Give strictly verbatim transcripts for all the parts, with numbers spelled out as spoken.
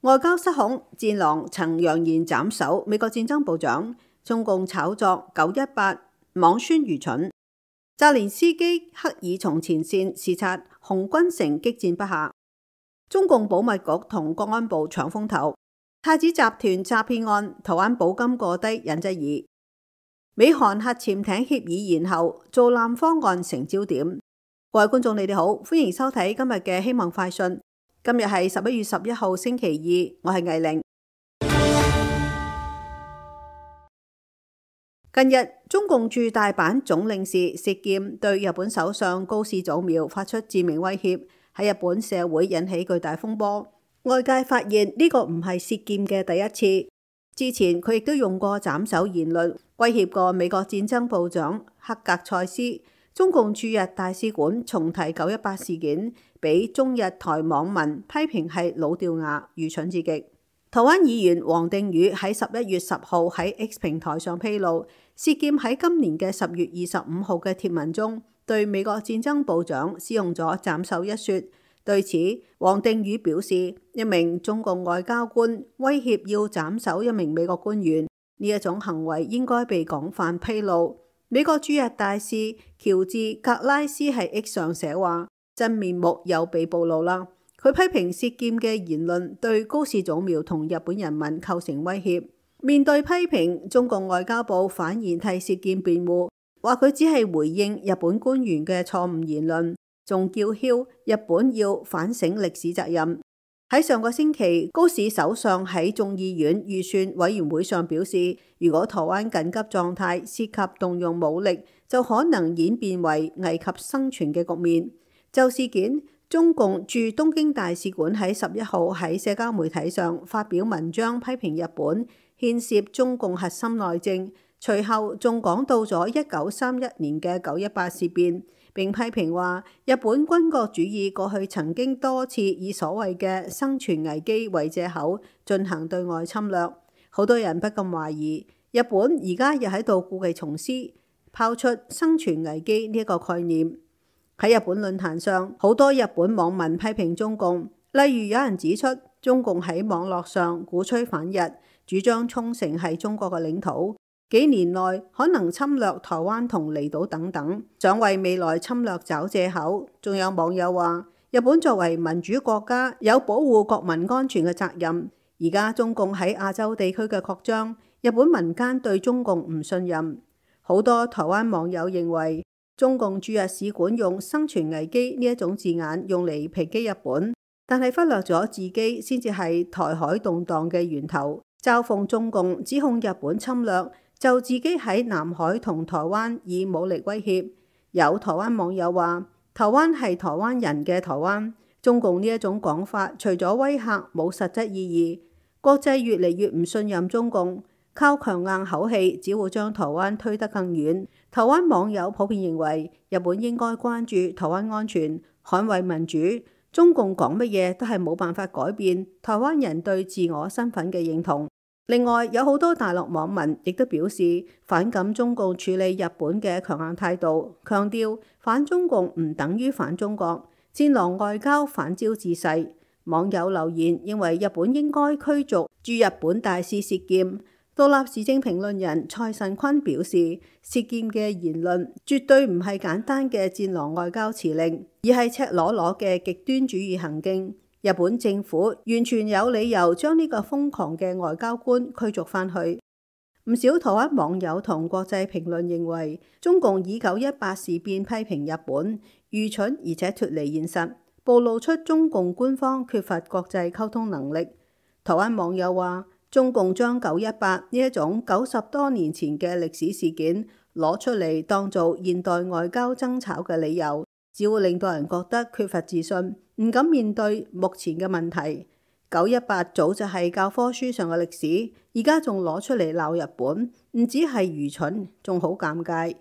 外交失控，戰狼曾揚言斬首美國戰爭部長，中共炒作九一八妄宣愚蠢。澤連斯基刻意從前線視察紅軍城激戰不下。中共保密局同國安部搶風頭。太子集團詐騙案，台灣保金過低引質疑。美韓核潛艇協議延後，造艦方案成焦點。各位觀眾，你哋好，歡迎收睇今日嘅希望快訊。今日係十一月十一號星期二，我係藝玲。近日，中共駐大阪總領事薛劍對日本首相高市早苗發出致命威脅，喺日本社會引起巨大風波。外界發現呢個唔係薛劍嘅第一次，之前佢亦都用過斬首言論威脅過美國戰爭部長克格塞斯。中共駐日大使館重提九一八事件，俾中日台網民批評係老掉牙、愚蠢至極。台灣議員王定宇喺十一月十號喺 X 平台上披露，薛劍喺今年嘅十月二十五號嘅貼文中，對美國戰爭部長使用咗斬首一說。對此，王定宇表示，一名中共外交官威脅要斬首一名美國官員，呢一種行為應該被廣泛披露。美國駐日大使喬治格拉斯喺 X 上寫話，真面目又被暴露啦。佢批評薛劍嘅言論對高市早苗同日本人民構成威脅。面對批評，中共外交部反而替薛劍辯護，話佢只係回應日本官員嘅錯誤言論，仲叫囂日本要反省歷史責任。喺上個星期，高市首相喺眾議院預算委員會上表示，如果台灣緊急狀態涉及動用武力，就可能演變為危及生存嘅局面。就事件，中共駐東京大使館喺十一號喺社交媒體上發表文章批評日本牽涉中共核心內政，隨後仲講到咗一九三一年嘅九一八事變。並批評話，日本軍國主義過去曾經多次以所謂嘅生存危機為藉口進行對外侵略。好多人不禁懷疑，日本而家又喺度故技重施，拋出生存危機呢一個概念。喺日本論壇上，好多日本網民批評中共，例如有人指出，中共喺網絡上鼓吹反日，主張沖繩係中國嘅領土，幾年內可能侵略台灣同離島等等，想為未來侵略找藉口。仲有網友話，日本作為民主國家，有保護國民安全嘅責任。而家中共喺亞洲地區嘅擴張，日本民間對中共唔信任。好多台灣網友認為，中共駐日使館用生存危機呢一種字眼用嚟抨擊日本，但係忽略咗自己先至係台海動盪嘅源頭。嘲諷中共指控日本侵略，就自己喺南海同台灣以武力威脅。有台灣網友話，台灣係台灣人嘅台灣。中共呢一種講法，除咗威嚇，冇實質意義。國際越嚟越唔信任中共，靠強硬口氣只會將台灣推得更遠。台灣網友普遍認為，日本應該關注台灣安全，捍衛民主。中共講乜嘢都係冇辦法改變台灣人對自我身份嘅認同。另外，有好多大陸網民亦都表示反感中共處理日本嘅強硬態度，強調反中共唔等於反中國，戰狼外交反招自噬。網友留言認為日本應該驅逐駐日本大使薛劍。獨立時政評論人蔡慎坤表示，薛劍嘅言論絕對唔係簡單嘅戰狼外交辭令，而係赤裸裸嘅極端主義行徑。日本政府完全有理由將呢個瘋狂嘅外交官驅逐返去。唔少台灣網友同國際評論認為，中共以九一八事變批評日本愚蠢而且脫離現實，暴露出中共官方缺乏國際溝通能力。台灣網友話，中共將九一八呢一種九十多年前嘅歷史事件攞出嚟當做現代外交爭吵嘅理由，只會令到人覺得缺乏自信，唔敢面對目前嘅問題。九一八早就係教科書上嘅歷史，而家仲攞出嚟鬧日本，唔止係愚蠢，仲好尷尬。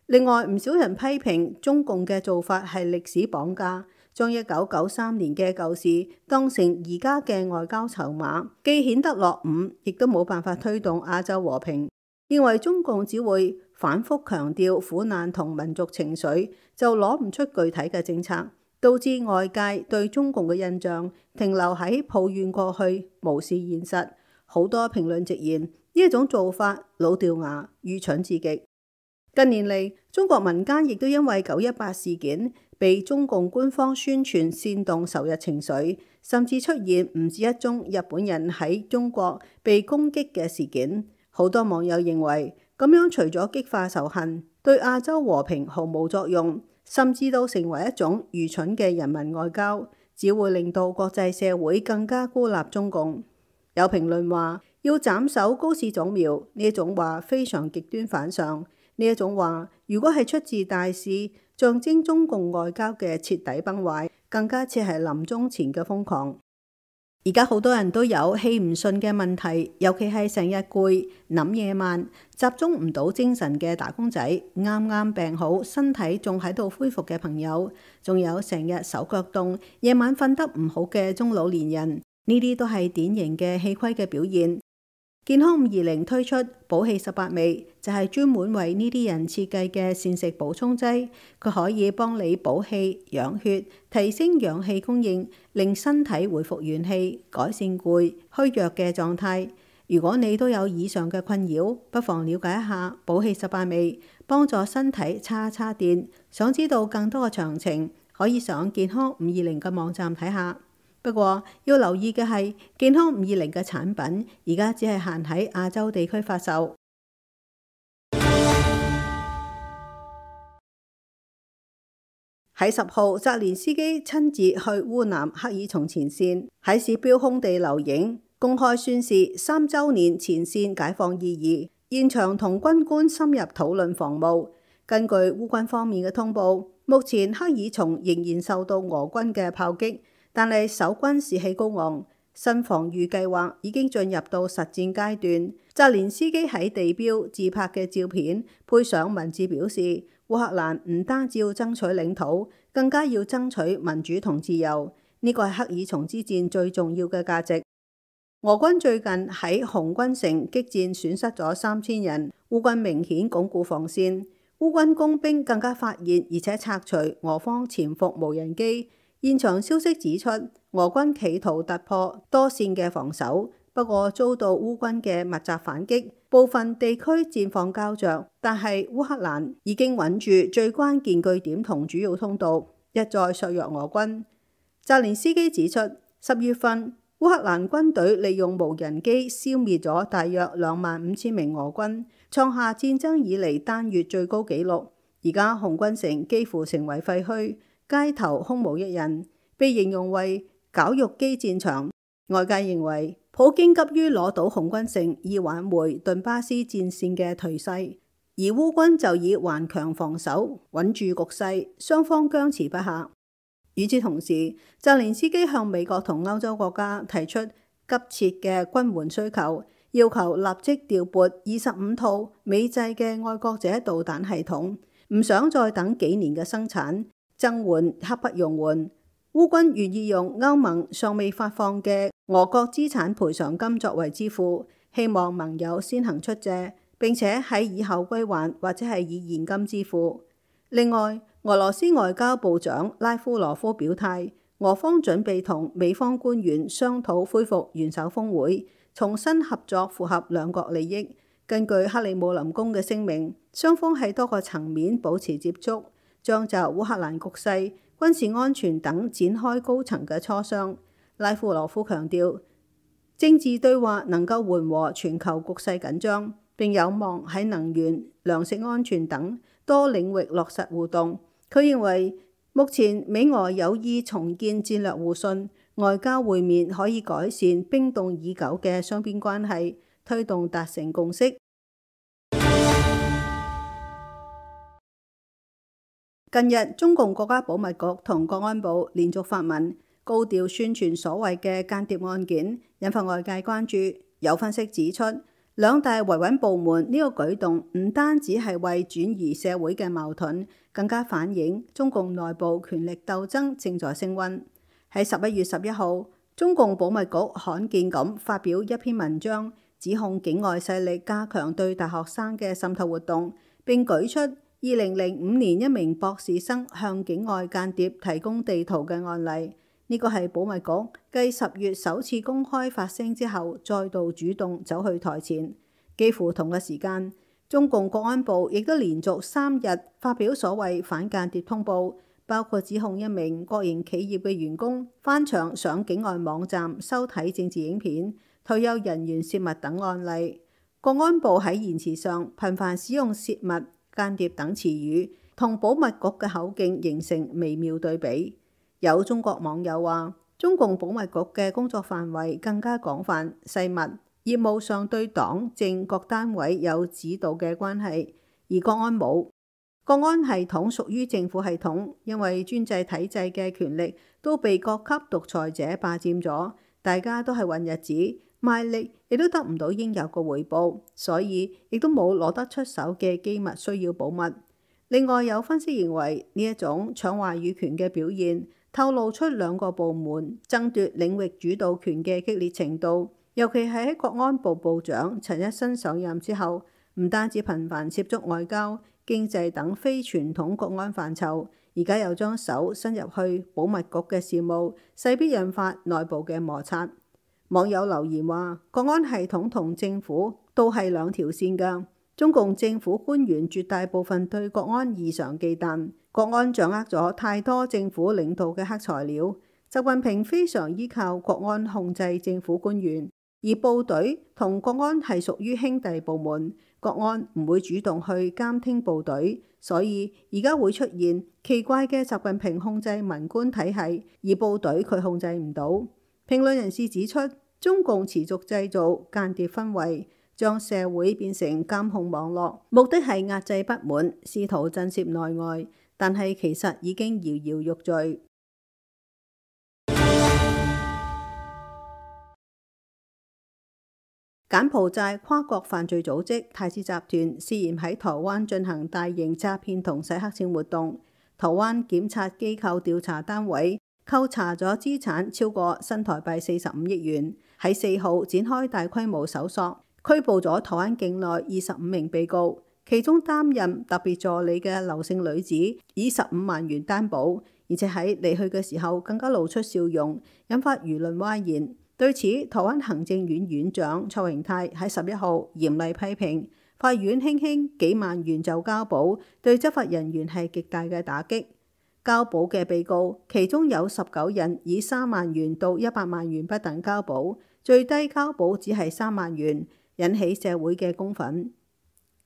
另外，唔少人批評中共嘅做法係歷史綁架，將一九九三年嘅舊事當成而家嘅外交籌碼，既顯得落伍，亦都冇辦法推動亞洲和平。認為中共只會反覆強調苦難同民族情緒，就攞唔出具體嘅政策，導致外界對中共嘅印象停留喺抱怨過去，無視現實。好多評論直言呢一種做法老掉牙、愚蠢至極。近年嚟，中國民間亦都因為九一八事件被中共官方宣傳煽動仇日情緒，甚至出現唔止一宗日本人喺中國被攻擊嘅事件。好多網友認為咁樣除咗激化仇恨，對亞洲和平毫無作用，甚至都成為一種愚蠢嘅人民外交，只會令到國際社會更加孤立中共。有評論話要斬首高市早苗，呢一種話非常極端反常。呢一種話如果係出自大使，象徵中共外交嘅徹底崩壞，更加似係臨終前嘅瘋狂。而家好多人都有氣唔順嘅問題，尤其係成日攰、諗嘢慢、集中唔到精神嘅打工仔，啱啱病好、身體仲喺度恢復嘅朋友，仲有成日手腳凍、夜晚瞓得唔好嘅中老年人，呢啲都係典型嘅氣虧嘅表現。健康五二零推出補氣十八味，就係專門為呢啲人設計嘅膳食補充劑，佢可以幫你補氣、養血、提升氧氣供應，令身體恢復元氣，改善攰、虛弱嘅狀態。如果你都有以上嘅困擾，不妨了解一下補氣十八味，幫助身體叉叉電。想知道更多嘅詳情，可以上健康五二零嘅網站睇下。不過要留意嘅係，健康五二零嘅產品而家只係限喺亞洲地區發售。喺十號，澤連斯基親自去烏南克爾松前線，喺市標空地留影，公開宣示三週年前線解放意義。現場同軍官深入討論防務。根據烏軍方面嘅通報，目前克爾松仍然受到俄軍嘅炮擊。但係守軍士氣高昂，新防禦計劃已經進入到實戰階段。澤連斯基喺地標自拍嘅照片，配上文字表示，烏克蘭唔單止要爭取領土，更加要爭取民主同自由。呢個係克爾松之戰最重要嘅價值。俄軍最近喺紅軍城激戰損失咗三千人，烏軍明顯鞏固防線。烏軍工兵更加發現而且拆除俄方潛伏無人機。現場消息指出，俄軍企圖突破多線嘅防守，不過遭到烏軍嘅密集反擊，部分地區戰況膠着。但係烏克蘭已經穩住最關鍵據點同主要通道，一再削弱俄軍。澤連斯基指出，十月份烏克蘭軍隊利用無人機消滅咗大約兩萬五千名俄軍，創下戰爭以嚟單月最高紀錄。而家紅軍城幾乎成為廢墟，街頭空無一人，被形容為絞肉機戰場。外界認為普京急於攞到紅軍城，以挽回頓巴斯戰線嘅頹勢，而烏軍就以頑強防守穩住局勢，雙方僵持不下。與此同時，澤連斯基向美國同歐洲國家提出急切嘅軍援需求，要求立即調撥二十五套美製嘅愛國者導彈系統，唔想再等幾年嘅生產。增援刻不容緩，烏軍願意用歐盟尚未發放嘅俄國資產賠償金作為支付，希望盟友先行出借，並且喺以後歸還或者係以現金支付。另外，俄羅斯外交部長拉夫羅夫表態，俄方準備同美方官員商討恢復元首峰會，重新合作符合兩國利益。根據克里姆林宮嘅聲明，雙方喺多個層面保持接觸，將就烏克蘭局勢、軍事安全等展開高層嘅磋商。拉夫羅夫強調，政治對話能夠緩和全球局勢緊張，並有望喺能源、糧食安全等多領域落實互動。佢認為，目前美俄有意重建戰略互信，外交會面可以改善冰凍已久嘅雙邊關係，推動達成共識。近日，中共國家保密局同國安部連續發文，高調宣傳所謂嘅間諜案件，引發外界關注。有分析指出，兩大維穩部門呢個舉動唔單止係為轉移社會嘅矛盾，更加反映中共內部權力鬥爭正在升溫。喺十一月十一號，中共保密局罕見咁發表一篇文章，指控境外勢力加強對大學生嘅滲透活動，並舉出二零零五年一名博士生向境外間諜提供地圖嘅案例。呢個係保密局繼十月首次公開發聲之後，再度主動走去台前。幾乎同一時間，中共國安部亦都連續三日發表所謂反間諜通報，包括指控一名國營企業嘅員工翻牆上境外網站收睇政治影片、退休人員泄密等案例。國安部喺言辭上頻繁使用泄密、間諜等詞語，同保密局嘅口徑形成微妙對比。有中國網友話，中共保密局嘅工作範圍更加廣泛細密，業務上對黨政各單位有指導嘅關係，而國安冇。國安系統屬於政府系統，因為專制體制嘅權力都被各級獨裁者霸佔咗，大家都係混日子，賣力亦都得唔到應有嘅回報，所以亦都冇攞得出手嘅機密需要保密。另外有分析認為，呢一種搶話語權嘅表現，透露出兩個部門爭奪領域主導權嘅激烈程度，尤其係喺國安部部長陳一新上任之後，唔單止頻繁涉足外交、經濟等非傳統國安範疇，而家又將手伸入去保密局嘅事務，勢必引發內部嘅摩擦。網友留言話，國安系統同政府都係兩條線㗎。中共政府官員絕大部分對國安異常忌憚，國安掌握咗太多政府領導嘅黑材料。習近平非常依靠國安控制政府官員，而部隊同國安係屬於兄弟部門，國安唔會主動去監聽部隊，所以而家會出現奇怪嘅習近平控制文官體系，而部隊佢控制唔到。評論人士指出，中共持續製造間諜氛圍，將社會變成監控網絡，目的係壓制不滿，試圖震懾內外，但係其實已經搖搖欲墜。柬埔寨跨國犯罪組織太子集團涉嫌喺台灣進行大型詐騙同洗黑錢活動，台灣檢察機構調查單位扣查咗資產超過新台幣四十五億元，喺四號展開大規模搜索，拘捕咗台灣境內二十五名被告，其中擔任特別助理嘅劉姓女子以十五萬元擔保，而且喺離去嘅時候更加露出笑容，引發輿論譁然。對此，台灣行政院院長卓榮泰喺十一號嚴厲批評，法院輕輕幾萬元就交保，對執法人員係極大嘅打擊。交保嘅被告，其中有十九人以三萬元到一百萬元不等交保，最低交保只係三萬元，引起社會嘅公憤。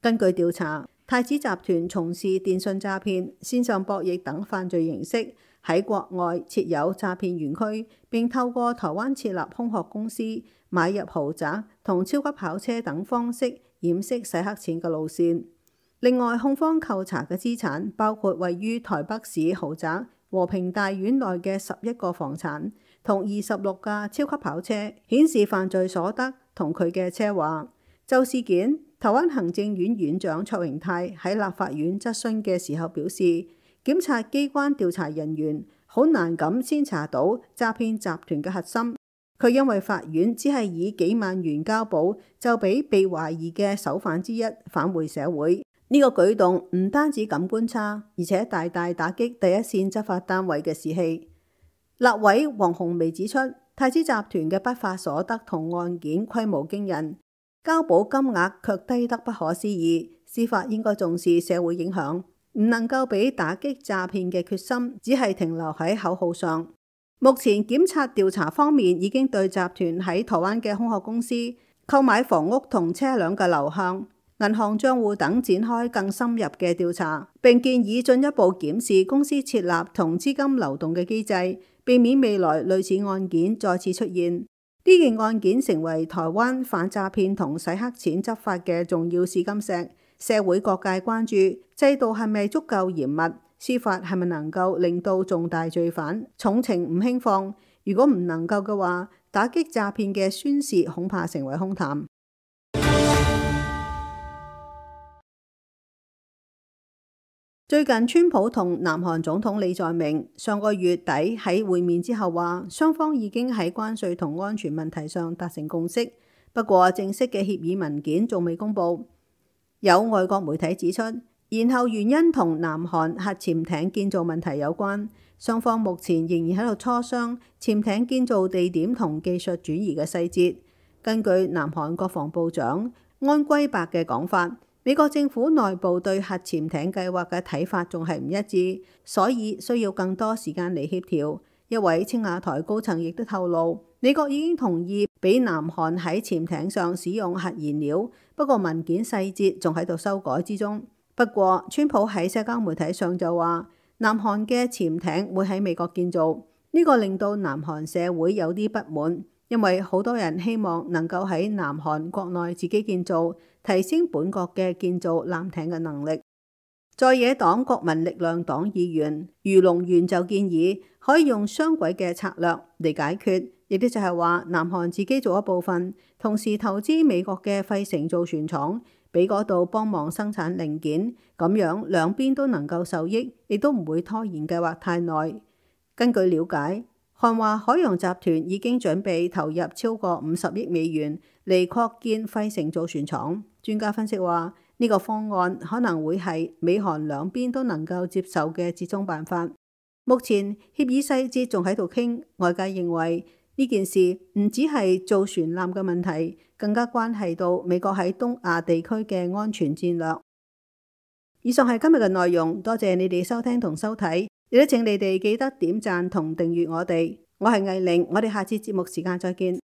根據調查，太子集團從事電信詐騙、線上博弈等犯罪形式，喺國外設有詐騙園區，並透過台灣設立空殼公司、買入豪宅同超級跑車等方式掩飾洗黑錢嘅路線。另外，控方扣查嘅資產包括位於台北市豪宅和平大院內嘅十一個房產同二十六架超級跑車，顯示犯罪所得同佢嘅奢華。就事件，台灣行政院院長卓榮泰喺立法院質詢嘅時候表示，檢察機關調查人員好難咁先查到詐騙集團嘅核心。佢因為法院只係以幾萬元交保，就俾被懷疑嘅首犯之一返回社會。呢個舉動唔單止感官差，而且大大打擊第一線執法單位嘅士氣。立委黃鴻薇指出，太子集團嘅不法所得同案件規模驚人，交保金額卻低得不可思議。司法應該重視社會影響，唔能夠俾打擊詐騙嘅決心只係停留喺口號上。目前檢察調查方面已經對集團喺台灣嘅空殼公司、購買房屋同車輛嘅流向、銀行賬戶等展開更深入嘅調查，並建議進一步檢視公司設立同資金流動嘅機制，避免未來類似案件再次出現。呢件案件成為台灣反詐騙同洗黑錢執法嘅重要試金石，社會各界關注制度係咪足夠嚴密，司法係咪能夠令到重大罪犯重懲唔輕放？如果唔能夠嘅話，打擊詐騙嘅宣示恐怕成為空談。最近川普同南韓總統李在明上個月底喺會面之後話，雙方已經喺關稅同安全問題上達成共識，不過正式嘅協議文件仲未公佈。有外國媒體指出，然後原因同南韓核潛艇建造問題有關，雙方目前仍然喺度磋商潛艇建造地點同技術轉移嘅細節。根據南韓國防部長安圭白嘅講法，美國政府內部對核潛艇計劃嘅睇法仲係唔一致，所以需要更多時間嚟協調。一位青瓦台高層亦都透露，美國已經同意俾南韓喺潛艇上使用核燃料，不過文件細節仲喺度修改之中。不過，川普喺社交媒體上就話，南韓嘅潛艇會喺美國建造，呢個令到南韓社會有啲不滿，因為好多人希望能夠喺南韓國內自己建造，提升本國嘅建造艦艇嘅能力。在野黨國民力量黨議員余龍元就建議可以用雙軌嘅策略嚟解決，亦都就係話南韓自己做一部分，同時投資美國嘅費城造船廠，俾嗰度幫忙生產零件，咁樣兩邊都能夠受益，亦都唔會拖延計劃太耐。根據了解，韓華海洋集團已經準備投入超過五十億美元嚟擴建費城造船廠。專家分析話，呢個方案可能會係美韓兩邊都能夠接受嘅折中辦法。目前協議細節仲喺度傾，外界認為呢件事唔只係造船艦嘅問題，更加關係到美國喺東亞地區嘅安全戰略。以上係今日嘅內容，多謝你哋收聽同收睇，亦都請你哋記得點讚同訂閱我哋。我係藝玲，我哋下次節目時間再見。